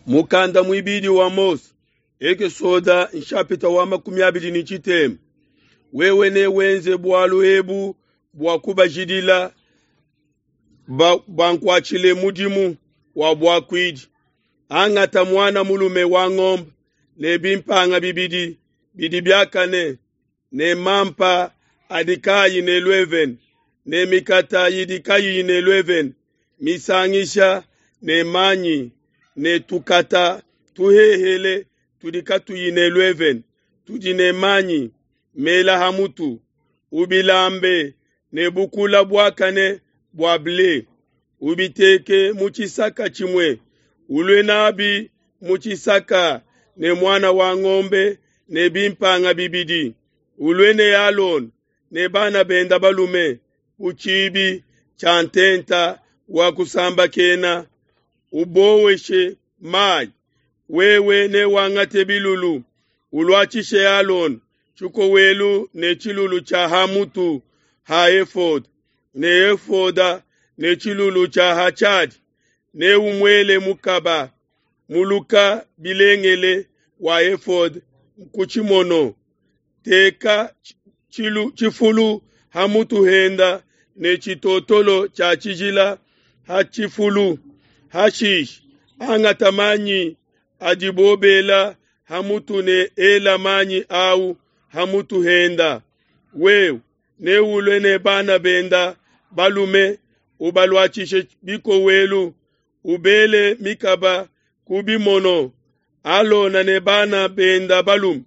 Mukanda muibidi wa Mose, Ekesoda nshapita wa 23. Wewe newenze bualu ebu bua kubajidila bankuatshile mudimu wa buakuidi. Angata muana mulume wa ngombe ne bimpanga bibidi bidi biakane ne mampa adi kaayi ne luevene ne mikata idi kayiyi ne luevene misangisha ne manyi ne tukata tuhehele tudi katuyi ne luevene tudi ne manyi mela ha mutu, ubilambe ne bukula buakane bua ble, ubiteke mu tshisaka tshimue, ulue nabi mu tshisaka ne muana wa ngombe ne bimpanga bibidi, ulue ne Alona ne bana benda balume ku tshibi tshia ntenta wa kusambakena, uboweshe mayi. Wewe newangate bilulu, uluatshishe Alona tshikowelu ne tshilulu tshia ha mutu ha efoda ne efoda ne tshilulu tshia ha tshiadi, neumuele mukaba muluka bilengele wa efoda ku tshimono. Teka tshifulu ha mutu henda ne tshitotolo tshia tshijila ha tshifulu. Hashishe angata manyi adibo bela ha mutu ne ela manyi au ha mutu henda. Wewe neulue ne bana benda balume, ubaluatshishe bikowelu, ubele mikaba ku bimono. Alona ne bana benda balume,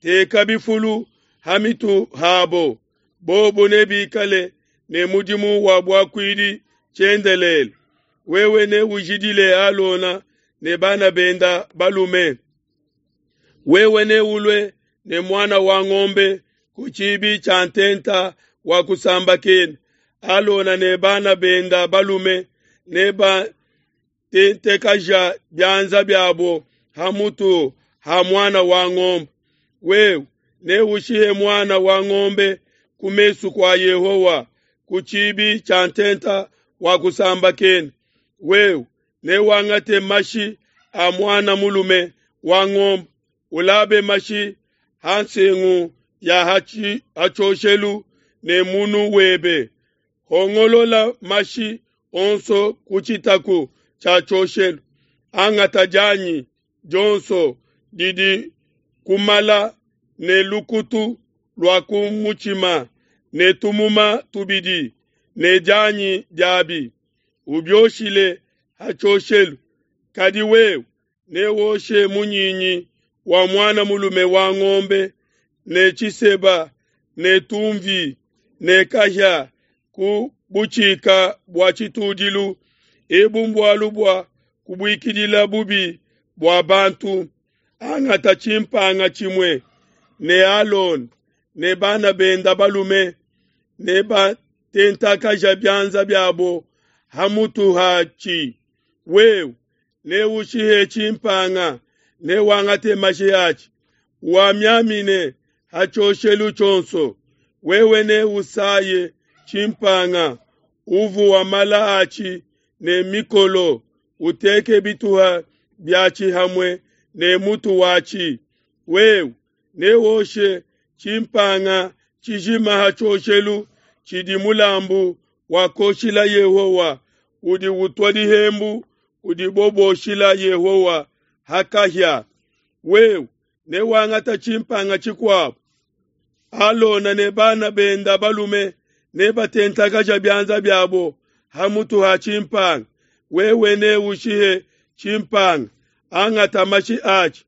teka bifulu ha mitu habo, bobo nebikale ne mudimu wa buakuidi tshiendelele. Wewe neujidile Alona ne bana benda balume. Wewe neulue ne muana wa ngombe ku tshibi tshia ntenta wa kusambakena. Alona ne bana benda balume nebatentekaja bianza biabo ha mutu ha muana wa ngombe. Wewe neushihe muana wa ngombe ku mesu kua Yehowa ku tshibi tshia ntenta wa kusambakena. Wewe newangate mashi a muana mulume wa ngombe, ulabe mashi ha nsengu ya ha tshioshelu ne munu webe. Hongolola mashi onso ku tshitaku tshia tshioshelu. Angata dianyi dionso didi kumala ne lukutu lua ku mutshima ne tumuma tubidi ne dianyi diabi, ubioshile ha tshioshelu. Kadi wewe newoshe munyinyi wa muana mulume wa ngombe ne tshiseba ne tumvi ne kahia ku butshika bua tshitudilu. Ebu mbualu bua kubuikidila bubi bua bantu. Angata tshimpanga tshimue ne Alona ne bana benda balume ne batentakaja bianza biabo ha mutu hatshi. Wewe neushihe tshimpanga, newangate mashi atshi, wamiamine ha tshioshelu tshionso. Wewe neusaye tshimpanga, uvuwa mala atshi ne mikolo, uteke bituha biatshi hamwe ne mutu watshi. Wewe newoshe tshimpanga tshijima ha tshioshelu tshidi mulambu wa koshila Yehowa, udi utua dihembu udibo boshila Yehowa ha kahia. Wewe newangata tshimpanga tshikuabo, Alona ne bana benda balume nebatentakaja bianza biabo ha mutu ha tshimpanga. Wewe neushihe tshimpanga, angata mashi atshi,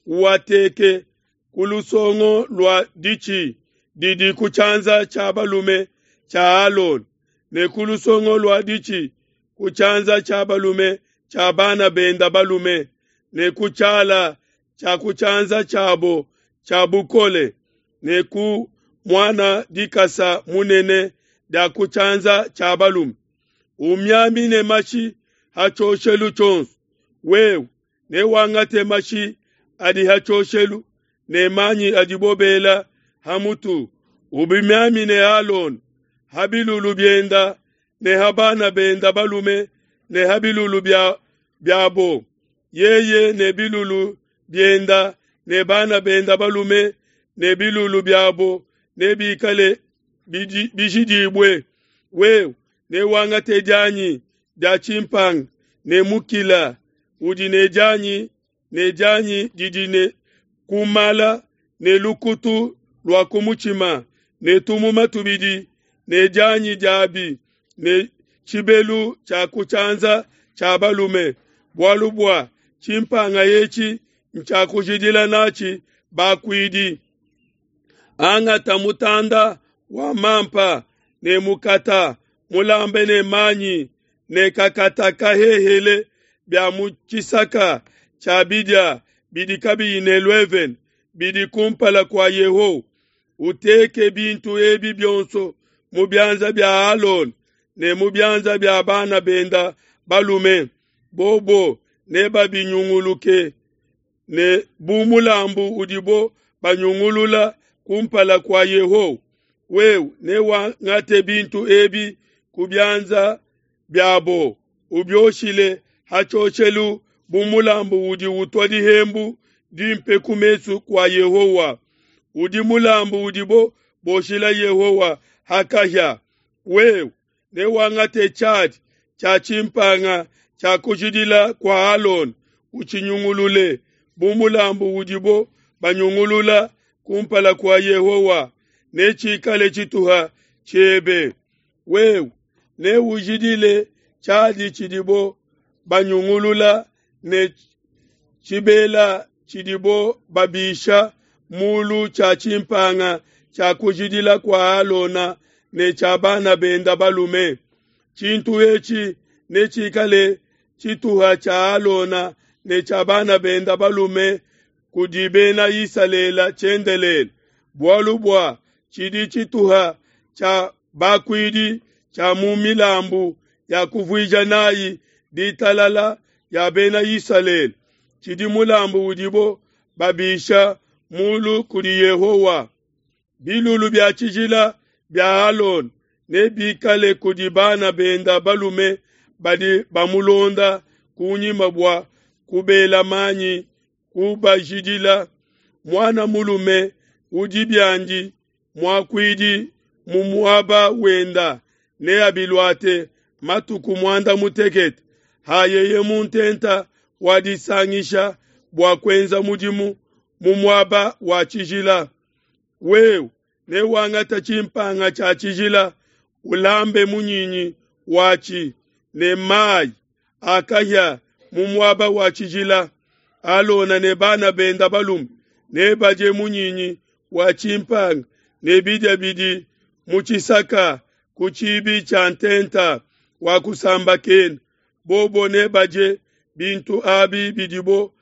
uateke ku lusongo lua ditshi didi ku tshianza tshia balume tshia Alona ne ku lusongo lua ditshi ku tshianza tshia balume tshia bana benda balume ne ku tshiala tshia ku tshianza tshiabo tshia bukole ne ku muana dikasa munene dia ku tshianza tshia balume. Umiamine mashi ha tshioshelu tshionso. Wewe newangate mashi adi ha tshioshelu ne manyi adibo bela ha mutu, ubimiamine Alona ha bilulu bienda ne ha bana benda balume ne ha bilulu biabo. Yeye ne bilulu bienda ne bana benda balume ne bilulu biabo nebikale bijidibue. Wewe newangate dianyi dia tshimpanga ne mukila udi ne dianyi ne dianyi didi ne kumala ne lukutu lua ku mutshima ne tumuma tubidi ne dianyi diabi ne tshibelu tshia ku tshianza tshia balume, bualu bua tshimpanga etshi ntshia kujidila natshi bakuidi. Angata mutanda wa mampa ne mukata mulambe ne manyi ne kakata kahehele bia mu tshisaka tshia bidia bidi kabiyi ne luevene bidi kumpala kua Yehowa. Uteke bintu ebi bionso mu bianza bia Alona ne mu bianza bia bana benda balume, bobo nebabinyunguluke ne bu mulambu udibo banyungulula kumpala kua Yehowa. Wewe newangate bintu ebi ku bianza biabo, ubioshile ha tshioshelu bu mulambu udi utua dihembu dimpe ku mesu kua Yehowa. Udi mulambu udibo boshila Yehowa ha kahia. Wewe newangate tshiadi tshia tshimpanga tshia kujidila kua Alona, utshinyungulule bu mulambu udibo banyungulula kumpala kua Yehowa, netshikale tshituha tshiebe. Wewe neujidile tshiadi tshidibo banyungulula ne tshibela tshidibo babisha mulu tshia tshimpanga tshia kujidila kua Alona ne tshia bana benda balume. Tshintu etshi netshikale tshituha tshia Alona ne tshia bana benda balume kudi bena Isalele tshiendelele, bualu bua tshidi tshituha tshia bakuidi tshia mu milambu ya kuvuija nayi ditalala ya bena Isalele, tshidi mulambu udibo babisha mulu kudi Yehowa. Bilulu bia tshijila bia Alona nebikale kudi bana benda balume badi bamulonda kunyima bua kubela manyi kubajidila. Muana mulume udi biandi muakuidi mu muaba wenda neabiluate matuku muanda mutekete hayeye mu ntenta wa disangisha bua kuenza mudimu mu muaba wa tshijila. Wewe newangate tshimpanga tshia tshijila, ulambe munyinyi watshi ne mayi a kahia mu muaba wa tshijila. Alona ne bana benda balume nebadie munyinyi wa tshimpanga ne bidia bidi mu tshisaka ku tshibi tshia ntenta wa kusambakena. Bobo nebadie bintu abi bidibo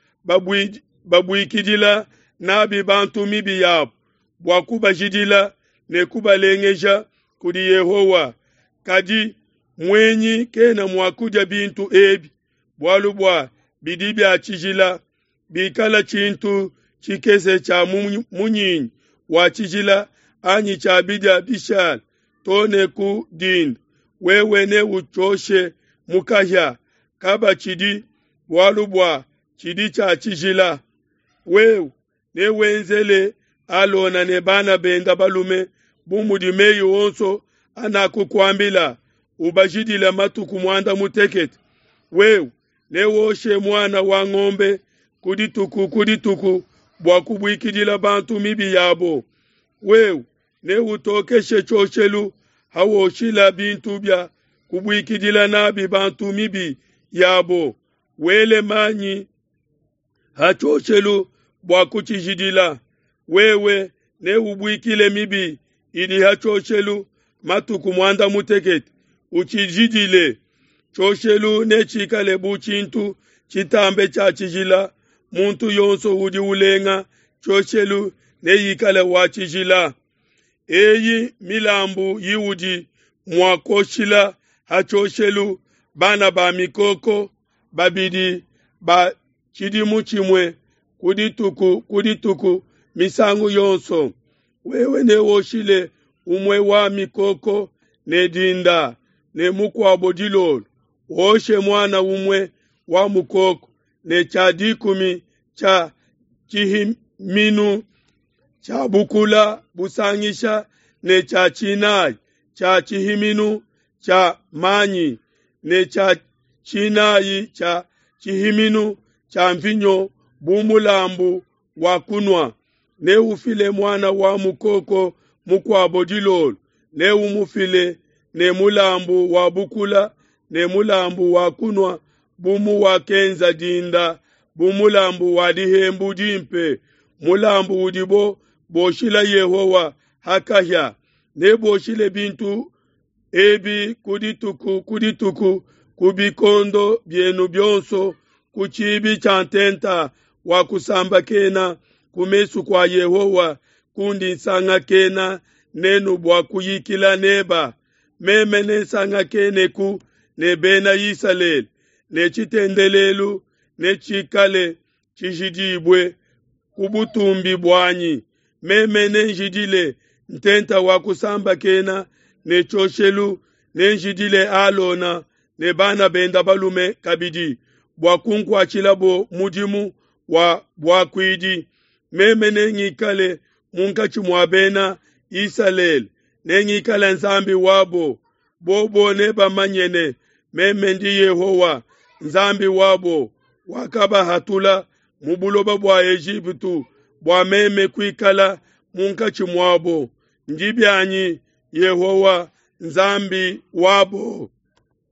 babuikidila nabi bantu mibi yabo bua kubajidila ne kubalengeja kudi Yehowa. Kadi muenyi kena mua kudia bintu ebi, bualu bua bidi bia tshijila. Bikala tshintu tshikese tshia munyinyi wa tshijila anyi tshia bidia bishala to ne ku dinda, wewe neutshioshe mu kahia, kabatshidi, bualu bua tshidi tshia tshijila. Wewe newenzele Alona ne bana benda balume bu mudi meyi onso anakukuambila, ubajidile matuku muanda mutekete. Wewe newoshe muana wa ngombe ku dituku ku dituku bua kubuikidila bantu mibi yabo. Wewe neutokeshe tshioshelu hawoshila bintu bia kubuikidila nabi bantu mibi yabo, wele manyi ha tshioshelu bua kutshijidila. Wewe neubuikile mibi idi ha tshioshelu matuku muanda mutekete, utshijidile. Tshioshelu netshikale bu tshintu tshitambe tshia tshijila, muntu yonso udi ulenga tshioshelu neikale wa tshijila. Eyi milambu iudi mua kuoshila ha tshioshelu: bana ba mikoko babidi ba tshidimu tshimue ku dituku ku dituku misangu yonso. Wewe newoshile umue wa mikoko ne dinda ne mukuabo dilolo. Woshe muana umue wa mukoko. ne tshia dikumi tshia tshihiminu tshia bukula busangisha ne tshia tshinayi tshia tshihiminu tshia manyi ne tshia tshinayi tshia tshihiminu tshia mvinyo bu mulambu wa kunua. Neufile muana wa mukoko mukuabo dilolo, neumufile ne mulambu wa bukula ne mulambu wa kunua bu muwakenza dinda, bu mulambu wa dihembu dimpe, mulambu udibo boshila Yehowa ha kahia. Neboshile bintu ebi ku dituku ku dituku ku bikondo bienu bionso ku tshibi tshia ntenta wa kusambakena ku mesu kua Yehowa kundi nsangakena nenu bua kuyikila neba. Meme nensangakeneku ne Bena Isalele, ne tshitendelelu netshikale tshijidibue ku butumbi buanyi. Meme nenjidile ntenta wa kusambakena ne tshioshelu, nenjidile Alona ne bana benda balume kabidi bua kunkuatshilabo mudimu wa buakuidi. Meme nengikale munkatshi mua bena Isalele, nengikale Nzambi wabo. Bobo nebamanye ne, meme ndi Yehowa Nzambi wabo, wakabahatula mu buloba bua Ejipitu bua meme kuikala munkatshi muabo. Ndi bianyi Yehowa Nzambi wabo.